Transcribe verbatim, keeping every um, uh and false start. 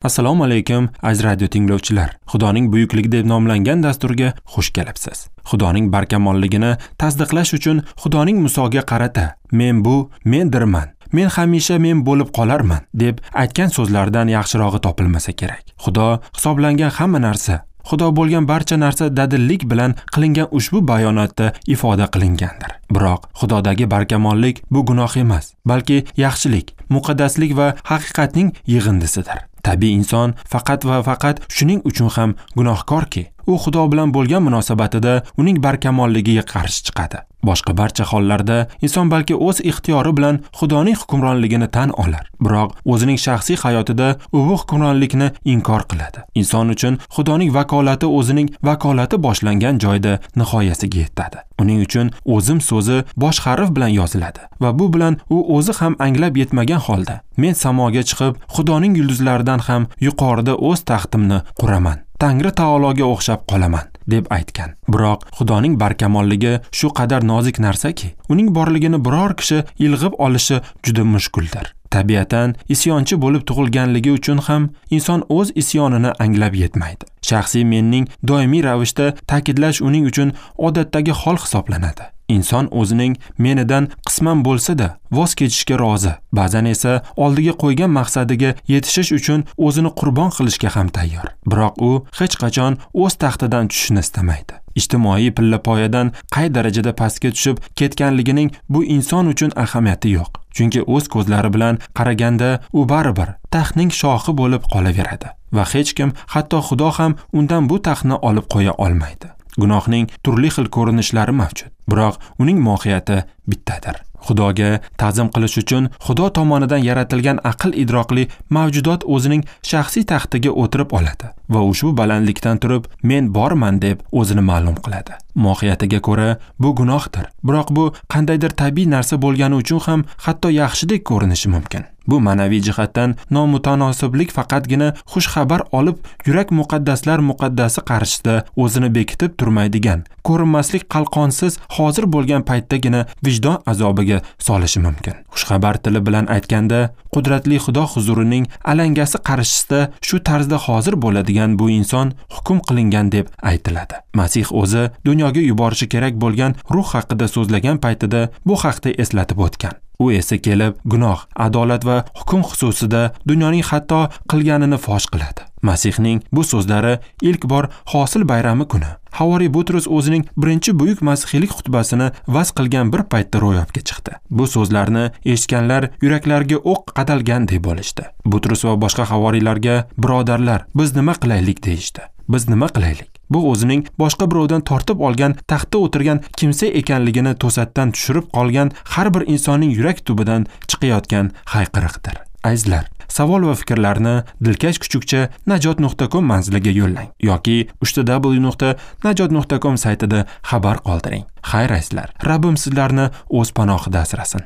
Assalomu alaykum aziz radio tinglovchilar. Xudoning buyukligi deb nomlangan dasturga xush kelibsiz. Xudoning barkamolligini tasdiqlash uchun Xudoning Musoga qarata "Men bu, mendirman, men hamisha men bo'lib qolarman" deb aytgan so'zlardan yaxshirog'i topilmasa kerak. Xudo hisoblangan hamma narsa, Xudo bo'lgan barcha narsa dadillik bilan qilingan ushbu bayonotda ifoda qilingandir. Biroq Xudodagi barkamollik bu gunoh emas, balki yaxshilik, muqaddaslik va haqiqatning yig'indisidir. Tabiiy inson faqat va faqat shuning uchun ham gunohkorki, u Xudo bilan bo'lgan munosabatida uning barkamolligiga qarshi chiqadi. Boshqa barcha hollarda inson balki o'z ixtiyori bilan Xudoning hukmronligini tan olar, biroq o'zining shaxsiy hayotida u bu hukmronlikni inkor qiladi. Inson uchun Xudoning vakolati o'zining vakolati boshlangan joyda nihoyasiga yetadi. Uning uchun o'zim so'zi bosh harf bilan yoziladi va bu bilan u o'zi ham anglab yetmagan holda men samoga chiqib Xudoning yulduzlaridan ham yuqorida o'z taxtimni quraman, Tangri taologa o'xshab qolaman deb aytgan. Biroq Xudoning barkamolligi shu qadar nozik narsaki, uning borligini biror kishi ilg'ib olishi juda mushkuldir. Tabiatan isyonchi bo'lib tug'ilganligi uchun ham inson o'z isyonini anglab yetmaydi. Shaxsiy menning doimiy ravishda ta'kidlash uning uchun odatdagi hol hisoblanadi. Inson o'zining menidan qisman bo'lsa-da voz kechishga rozi, ba'zan esa oldiga qo'ygan maqsadiga yetishish uchun o'zini qurbon qilishga ham tayyor. Biroq u hech qachon o'z taxtidan tushishni istamaydi. Ijtimoiy pillapoyadan qay darajada pastga tushib ketganligining bu inson uchun ahamiyati yo'q. Chunki o'z ko'zlari bilan qaraganda u baribir taxtning shohi bo'lib qolaveradi va hech kim, hatto Xudo ham undan bu taxtni olib qo'ya olmaydi. Gunohning turli xil ko'rinishlari mavjud, biroq uning mohiyati bittadir. Xudoga ta'zim qilish uchun Xudo tomonidan yaratilgan aql idrokli mavjudot o'zining shaxsiy taxtiga o'tirib oladi va ushbu balandlikdan turib men borman deb o'zini ma'lum qiladi. Mohiyatiga ko'ra bu gunohdir, biroq bu qandaydir tabiiy narsa bo'lgani uchun ham hatto yaxshidek ko'rinishi mumkin. Bu ma'naviy jihatdan nomutanosiblik faqatgina xush xabar olib yurak muqaddaslar muqaddasi qarshisida o'zini bekitib turmaydigan, ko'rinmaslik qalqonsiz hozir bo'lgan paytdagina vijdon azobiga solishi mumkin. Xushxabar tili bilan aytganda, qudratli Xudo huzurining alangasi qarshisida shu tarzda hozir bo'ladigan bu inson hukm qilingan deb aytiladi. Masih o'zi dunyoga yuborishi kerak bo'lgan ruh haqida so'zlagan paytida bu haqda eslatib o'tgan. U esa kelib gunoh, adolat va hukm xususida dunyoning xato qilganini fosh qiladi. Masihning bu so'zlari ilk bor hosil bayrami kuni Havoriy Butrus o'zining birinchi buyuk masihiylik xutbasini vaz qilgan bir paytda ro'yobga chiqdi. Bu so'zlarni eshitganlar yuraklariga o'q qadalgandek bo'lishdi. Butrus va boshqa havoriylarga "Birodarlar, biz nima qilaylik?" deyishdi. Biz nima qilaylik? Bu o'zining boshqa birovdan tortib olgan taxtda o'tirgan kimsa ekanligini to'satdan tushirib qolgan har bir insonning yurak tubidan chiqayotgan hayqiriqdir. Azizlar, savol va fikrlarni dilkash kuchukcha najot nuqta com manziliga yo'llang yoki uch w nuqta najot nuqta com saytida xabar qoldiring. Xayr azizlar, Rabbim sizlarni o'z panohida asrasin.